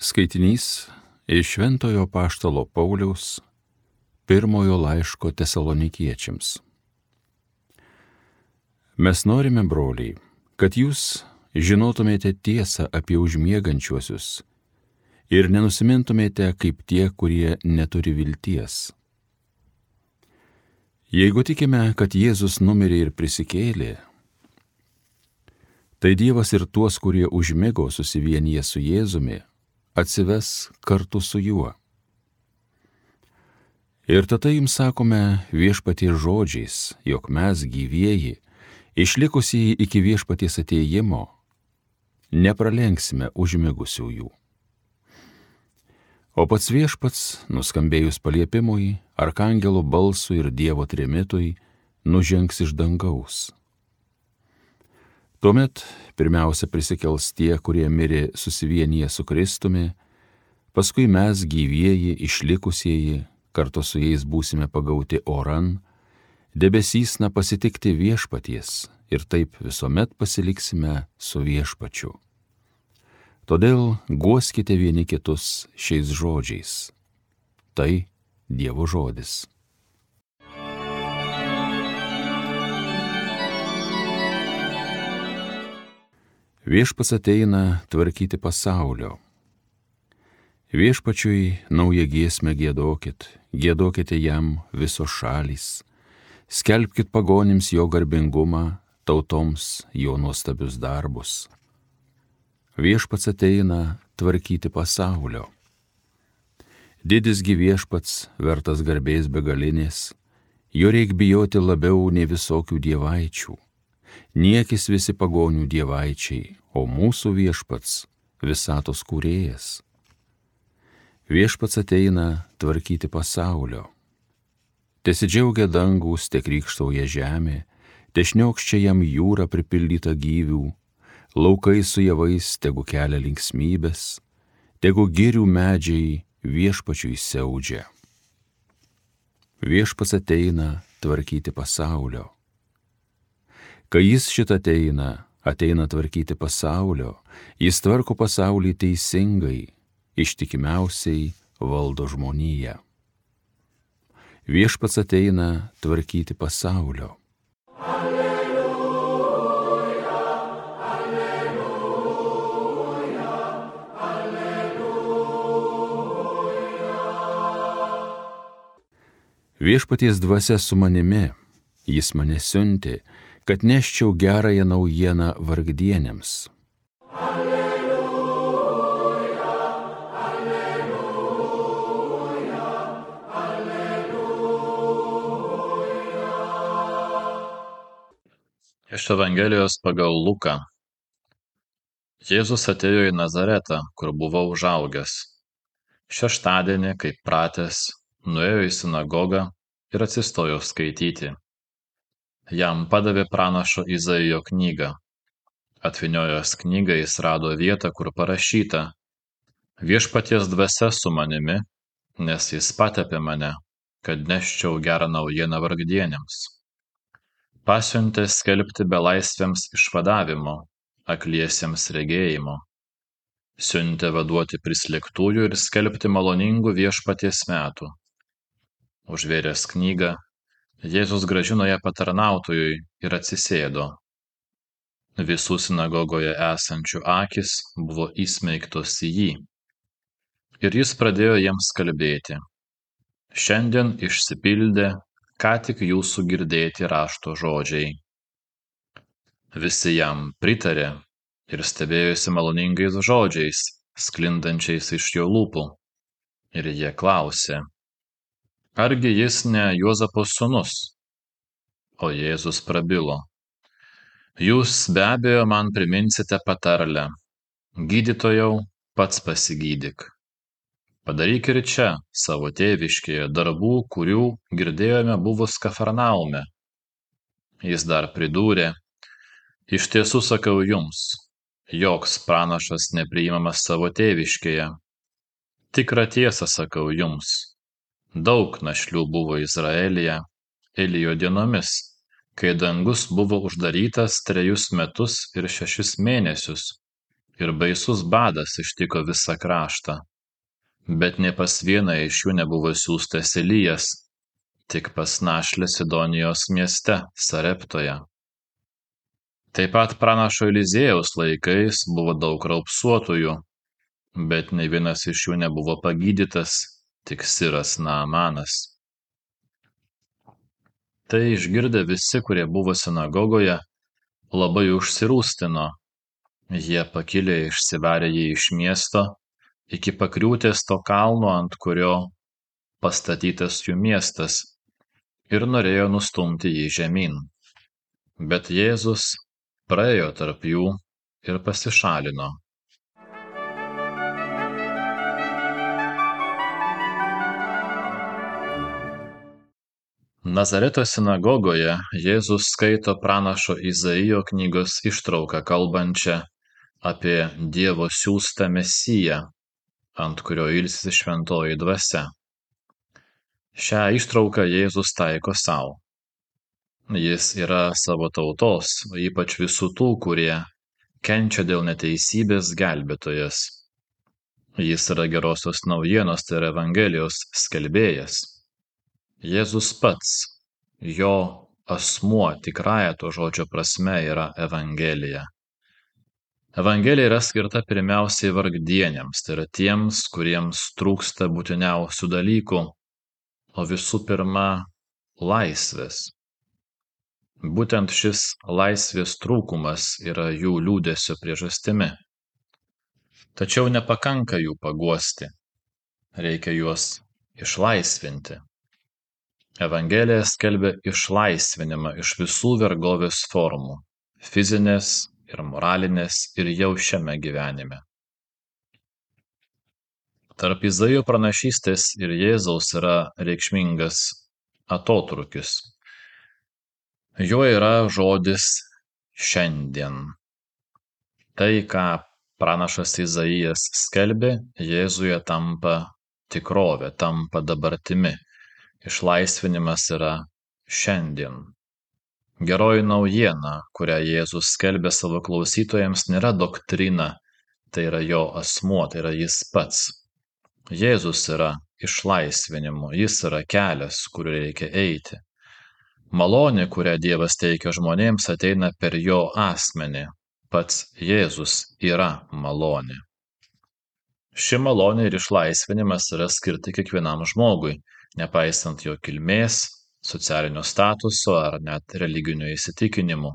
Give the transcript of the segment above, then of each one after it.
Skaitinys iš Šventojo Apaštalo Pauliaus pirmojo laiško Tesalonikiečiams. Mes norime, broliai, kad jūs žinotumėte tiesą apie užmiegančiuosius ir nenusimintumėte kaip tie, kurie neturi vilties. Jeigu tikime, kad Jėzus numirė ir prisikėlė, tai Dievas ir tuos, kurie užmigo susivienyje su Jėzumi, atsives kartu su juo. Ir tada jums sakome viešpaties žodžiais, jog mes gyvieji, išlikusieji iki viešpaties atėjimo, nepralenksime užmigusiųjų. O pats viešpats, nuskambėjus paliepimui, arkangelo balsui ir Dievo trimitui, nužengs iš dangaus. Tuomet pirmiausia prisikels tie, kurie mirė susivienyje su Kristumi, paskui mes gyvieji, išlikusieji, kartu su jais būsime pagauti oran, debesysna pasitikti viešpaties ir taip visuomet pasiliksime su viešpačiu. Todėl guoskite vieni kitus šiais žodžiais. Tai Dievo žodis. Viešpats ateina tvarkyti pasaulio. Viešpačiui naują giesmę giedokit, giedokite jam visos šalys, skelbkit pagonims jo garbingumą, tautoms jo nuostabius darbus. Viešpats ateina tvarkyti pasaulio. Didisgi viešpats, vertas garbės begalinės, jo reik bijoti labiau nei visokių dievaičių. Niekis visi pagonių dievaičiai, o mūsų viešpats visatos kūrėjas. Viešpats ateina tvarkyti pasaulio. Tesidžiaugia dangus, te krykštauja žemė, te šniokščia jam jūra pripildyta gyvių, laukai su javais tegu kelia linksmybės, tegu girių medžiai viešpačiui siaudžia. Viešpats ateina tvarkyti pasaulio. Kai jis šitą ateina tvarkyti pasaulio, jis tvarko pasaulį teisingai, ištikimiausiai valdo žmoniją. Viešpats ateina tvarkyti pasaulio. Alleluja, alleluja, alleluja. Viešpaties dvasia su manimi, jis mane siuntė, kad neščiau gerąją naujieną vargdienėms. Alleluja, alleluja, alleluja. Iš Evangelijos pagal Luką. Jėzus atėjo į Nazaretą, kur buvo užaugęs. Šeštadienį, kaip pratęs, nuėjo į sinagogą ir atsistojo skaityti. Jam padavė pranašo Izaijo knygą. Atvyniojęs knygą jis rado vietą, kur parašyta: Viešpaties dvasia su manimi, nes jis patepė mane, kad neščiau gerą naujieną vargdienėms. Pasiuntė skelbti belaisviams išvadavimo, akliesiems regėjimo. Siuntė vaduoti prislėgtųjų ir skelbti maloningų viešpaties metų. Užvėręs knygą, Jėzus grąžino ją patarnautojui ir atsisėdo. Visų sinagogoje esančių akys buvo įsmeigtos į jį. Ir jis pradėjo jiems kalbėti: Šiandien išsipildė, ką tik jūsų girdėti rašto žodžiai. Visi jam pritarė ir stebėjosi maloningais žodžiais, sklindančiais iš jo lūpų. Ir jie klausė: Argi jis ne Juozapo sūnus? O Jėzus prabilo: Jūs be abejo man priminsite patarlę: Gydytojau, pats pasigydyk. Padaryk ir čia, savo tėviškėje, darbų, kurių girdėjome buvus Kafarnaume. Jis dar pridūrė: Iš tiesų sakau jums, joks pranašas nepriimamas savo tėviškėje. Tikrą tiesą sakau jums, daug našlių buvo Izraelyje Elijo dienomis, kai dangus buvo uždarytas 3 metus ir 6 mėnesius, ir baisus badas ištiko visą kraštą, bet nė pas vieną iš jų nebuvo siųstas Elijas, tik pas našlę Sidonijos mieste Sareptoje. Taip pat pranašo Eliziejaus laikais buvo daug raupsuotųjų, bet ne vienas iš jų nebuvo pagydytas, tik siras Naamanas. Tai išgirdę visi, kurie buvo sinagogoje, labai užsirūstino. Jie pakilę išsivarė jį iš miesto iki pakriūtės to kalno, ant kurio pastatytas jų miestas, ir norėjo nustumti jį žemyn. Bet Jėzus praėjo tarp jų ir pasišalino. Nazareto sinagogoje Jėzus skaito pranašo Izaijo knygos ištrauką kalbančią apie Dievo siųstą Mesiją, ant kurio ilsisi šventoji dvasia. Šią ištrauką Jėzus taiko sau. Jis yra savo tautos, ypač visų tų, kurie kenčia dėl neteisybės gelbėtojas. Jis yra gerosios naujienos, tai yra Evangelijos skelbėjas. Jėzus pats, jo asmuo tikrąja to žodžio prasme yra Evangelija. Evangelija yra skirta pirmiausiai vargdieniams, tai yra tiems, kuriems trūksta būtiniausių dalykų, o visų pirma laisvės. Būtent šis laisvės trūkumas yra jų liūdesio priežastimi. Tačiau nepakanka jų paguosti, reikia juos išlaisvinti. Evangelija skelbia išlaisvinimą iš visų vergovės formų – fizinės ir moralinės ir jau šiame gyvenime. Tarp Izaijo pranašystės ir Jėzaus yra reikšmingas atotrūkis. Jo yra žodis šiandien. Tai, ką pranašas Izaijas skelbė, Jėzuje tampa tikrove, tampa dabartimi. Išlaisvinimas yra šiandien. Geroji naujiena, kurią Jėzus skelbė savo klausytojams, nėra doktrina, tai yra jo asmuo, tai yra jis pats. Jėzus yra išlaisvinimu, jis yra kelias, kuriuo reikia eiti. Malonė, kurią Dievas teikia žmonėms, ateina per jo asmenį. Pats Jėzus yra malonė. Ši malonė ir išlaisvinimas yra skirti kiekvienam žmogui, nepaisant jo kilmės, socialinio statuso ar net religinių įsitikinimų.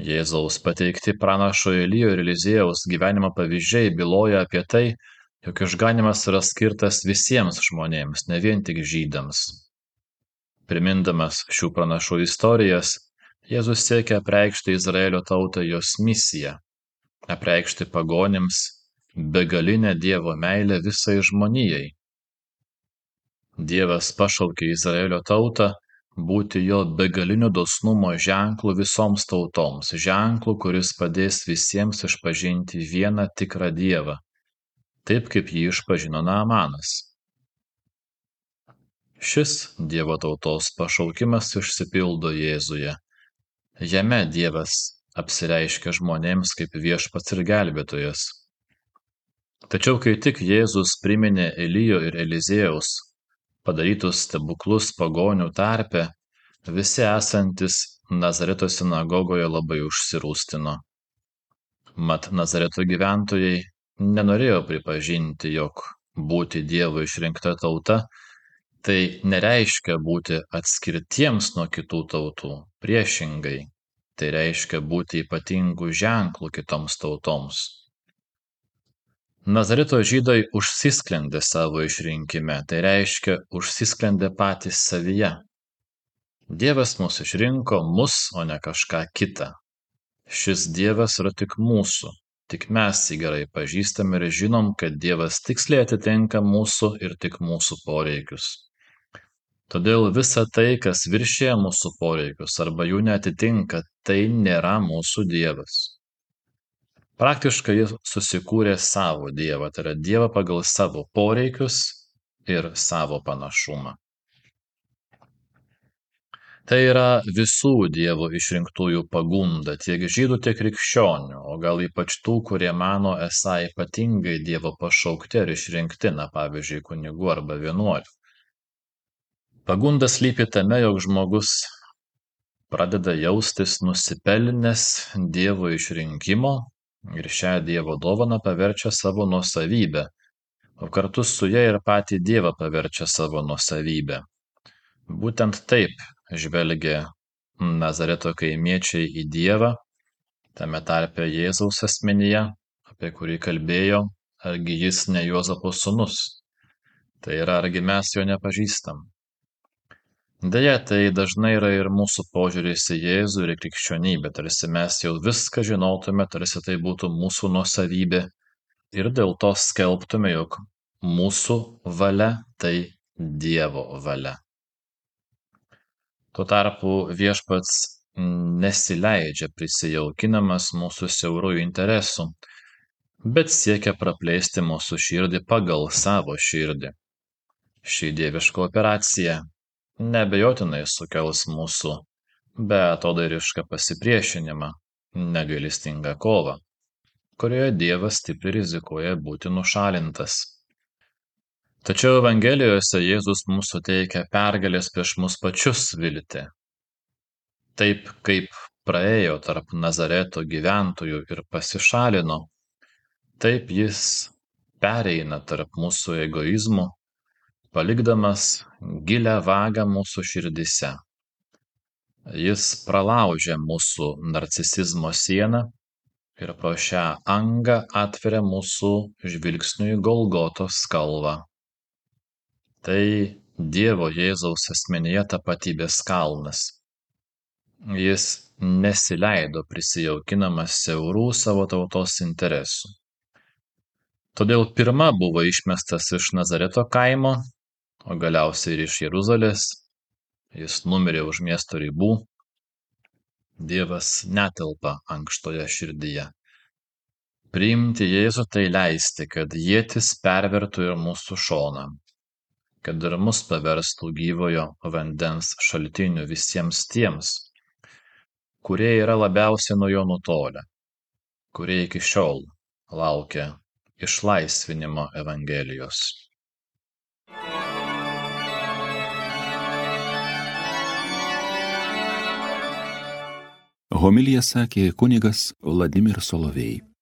Jėzaus pateikti pranašo Elijo ir Eliziejaus gyvenimo pavyzdžiai byloja apie tai, jog išganymas yra skirtas visiems žmonėms, ne vien tik žydams. Primindamas šių pranašų istorijas, Jėzus siekia apreikšti Izraelio tautą jos misiją, apreikšti pagonims begalinę Dievo meilę visai žmonijai. Dievas pašaukė Izraelio tautą būti jo begalinio dosnumo ženklu visoms tautoms, ženklu, kuris padės visiems išpažinti vieną tikrą Dievą, taip kaip jį išpažino Naamanas. Šis Dievo tautos pašaukimas išsipildo Jėzuje. Jame Dievas apsireiškia žmonėms kaip viešpats ir gelbėtojas. Tačiau kai tik Jėzus priminė Elijo ir Eliziejaus padarytus stebuklus pagonių tarpe, visi esantis Nazareto sinagogoje labai užsirūstino. Mat Nazareto gyventojai nenorėjo pripažinti, jog būti Dievo išrinkta tauta tai nereiškia būti atskirtiems nuo kitų tautų. Priešingai, tai reiškia būti ypatingų ženklų kitoms tautoms. Nazareto žydai užsisklendė savo išrinkime, tai reiškia užsisklendė patys savyje. Dievas mus išrinko, o ne kažką kitą. Šis Dievas yra tik mūsų, tik mes jį gerai pažįstame ir žinom, kad Dievas tiksliai atitinka mūsų ir tik mūsų poreikius. Todėl visa tai, kas viršija mūsų poreikius arba jų neatitinka, tai nėra mūsų Dievas. Praktiškai jis susikūrė savo Dievą, tai yra Dievą pagal savo poreikius ir savo panašumą. Tai yra visų Dievo išrinktųjų pagunda, tiek žydų, tiek krikščionių, o gal ypač tų, kurie mano esą ypatingai Dievo pašaukti ar išrinkti, pavyzdžiui, kunigų arba vienuolių. Pagunda slypi tame, jog žmogus pradeda jaustis nusipelnęs Dievo išrinkimo ir šią Dievo dovaną paverčia savo nuosavybę, o kartu su ja ir patį Dievą paverčia savo nuosavybę. Būtent taip žvelgia Nazareto kaimiečiai į Dievą, tame tarpe Jėzaus asmenyje, apie kurį kalbėjo, argi jis ne Juozapo sūnus. Tai yra, argi mes jo nepažįstam. Deja, tai dažnai yra ir mūsų požiūris į Jėzų ir į krikščionybę, tarsi mes jau viską žinotume, tarsi tai būtų mūsų nuosavybė ir dėl to skelbtume, jog mūsų valia tai Dievo valia. Tuo tarpu Viešpats nesileidžia prisijaukinamas mūsų siaurųjų interesų, bet siekia praplėsti mūsų širdį pagal savo širdį. Ši dieviška operacija neabejotinai sukels mūsų beatodairišką pasipriešinimą, negailestingą kovą, kurioje Dievas stipriai rizikuoja būti nušalintas. Tačiau Evangelijose Jėzus mums suteikia pergalės prieš mus pačius viltį. Taip kaip praėjo tarp Nazareto gyventojų ir pasišalino, taip jis pereina tarp mūsų egoizmų, palikdamas gilią vagą mūsų širdise. Jis pralaužia mūsų narcisizmo sieną ir pro šią angą atveria mūsų žvilgsniui Golgotos kalvą. Tai Dievo Jėzaus asmenyje tapatybės kalnas. Jis nesileido prisijaukinamas siaurų savo tautos interesų. Todėl pirma buvo išmestas iš Nazareto kaimo, o galiausiai ir iš Jeruzalės. Jis numirė už miesto ribų. Dievas netelpa ankštoje širdyje. Priimti Jėzų tai leisti, kad ietis pervertų ir mūsų šoną, kad ir mus paverstų gyvojo vandens šaltiniu visiems tiems, kurie yra labiausiai nuo jo nutolę, kurie iki šiol laukia išlaisvinimo Evangelijos. Homiliją sakė kunigas Vladimir Solovej.